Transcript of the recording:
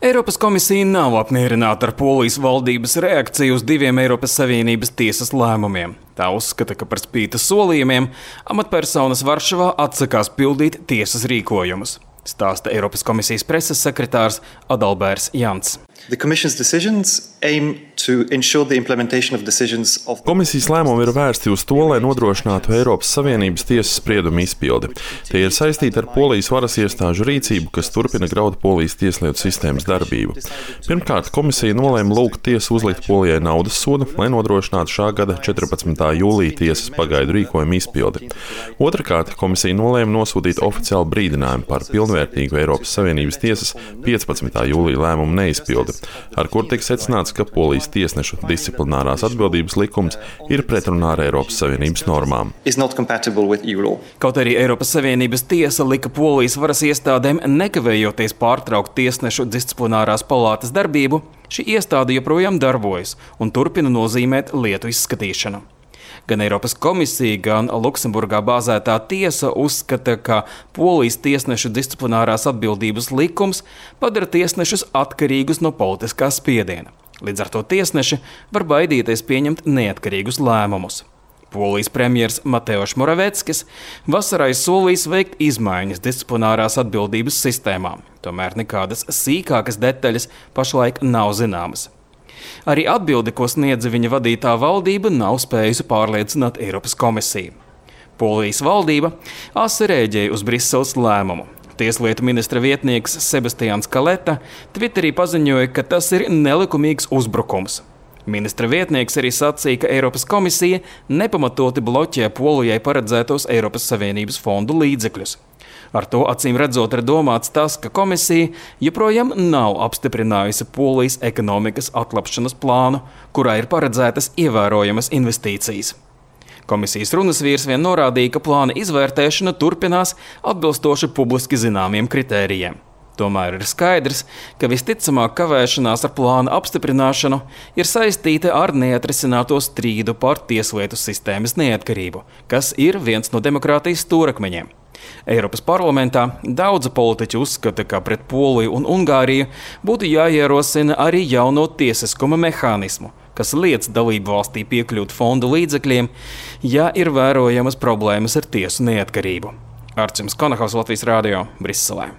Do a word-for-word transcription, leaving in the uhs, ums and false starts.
Eiropas komisija nav apmierināta ar Polijas valdības reakciju uz diviem Eiropas Savienības tiesas lēmumiem. Tā uzskata, ka par spīti solījumiem amatpersonas Varšavā atsakās pildīt tiesas rīkojumus, stāsta Eiropas komisijas preses sekretārs Adalbērs Jants. Komisijas lēmumi ir vērsti uz to, lai nodrošinātu Eiropas Savienības tiesas spriedumu izpildi. Tie ir saistīti ar Polijas varas iestāžu rīcību, kas turpina graut Polijas tieslietu sistēmas darbību. Pirmkārt, komisija nolēma lūgt tiesu uzlikt Polijai naudas sodu, lai nodrošinātu šā gada četrpadsmitā jūlija tiesas pagaidu rīkojumu izpildi. Otrakārt, komisija nolēma nosūtīt oficiālu brīdinājumu par pilnvērtīgu Eiropas Savienības tiesas piecpadsmitā jūlija lēmumu neizpildi, ar kur tiek secināts, ka Polijas tiesnešu disciplinārās atbildības likums ir pretrunā ar Eiropas Savienības normām. Kaut arī Eiropas Savienības tiesa lika Polijas varas iestādēm nekavējoties pārtraukt tiesnešu disciplinārās palātas darbību, šī iestāde joprojām darbojas un turpina nozīmēt lietu izskatīšanu. Gan Eiropas komisija, gan Luksemburgā bāzētā tiesa uzskata, ka Polijas tiesnešu disciplinārās atbildības likums padara tiesnešus atkarīgus no politiskā spiediena. Līdz ar to tiesneši var baidīties pieņemt neatkarīgus lēmumus. Polijas premjers Mateusz Moraveckis vasarā solījis veikt izmaiņas disciplinārās atbildības sistēmā, tomēr nekādas sīkākas detaļas pašlaik nav zināmas. Arī atbildi, ko sniedza viņa vadītā valdība, nav spējusi pārliecināt Eiropas komisiju. Polijas valdība asi rēģēja uz Briseles lēmumu. Tieslietu ministra vietnieks Sebastians Kaleta Twitterī paziņoja, ka tas ir nelikumīgs uzbrukums. Ministra vietnieks arī sacīja, ka Eiropas komisija nepamatoti bloķē Polijai paredzētos Eiropas Savienības fondu līdzekļus. Ar to acīm redzot ir domāts tas, ka komisija joprojām nav apstiprinājusi Polijas ekonomikas atlapšanas plānu, kurā ir paredzētas ievērojamas investīcijas. Komisijas runasvīrs vien norādīja, ka plāna izvērtēšana turpinās atbilstoši publiski zināmiem kritērijiem. Tomēr ir skaidrs, ka visticamāk kavēšanās ar plāna apstiprināšanu ir saistīta ar neatrisināto strīdu par tieslietu sistēmas neatkarību, kas ir viens no demokrātijas stūrakmeņiem. Eiropas parlamentā daudzi politiķi uzskata, ka pret Poliju un Ungāriju būtu jāierosina arī jauno tiesiskuma mehānismu, kas liedz dalību valstī piekļūt fondu līdzekļiem, ja ir vērojamas problēmas ar tiesu neatkarību. Arčuns Konahaus, Latvijas radio, Briselē.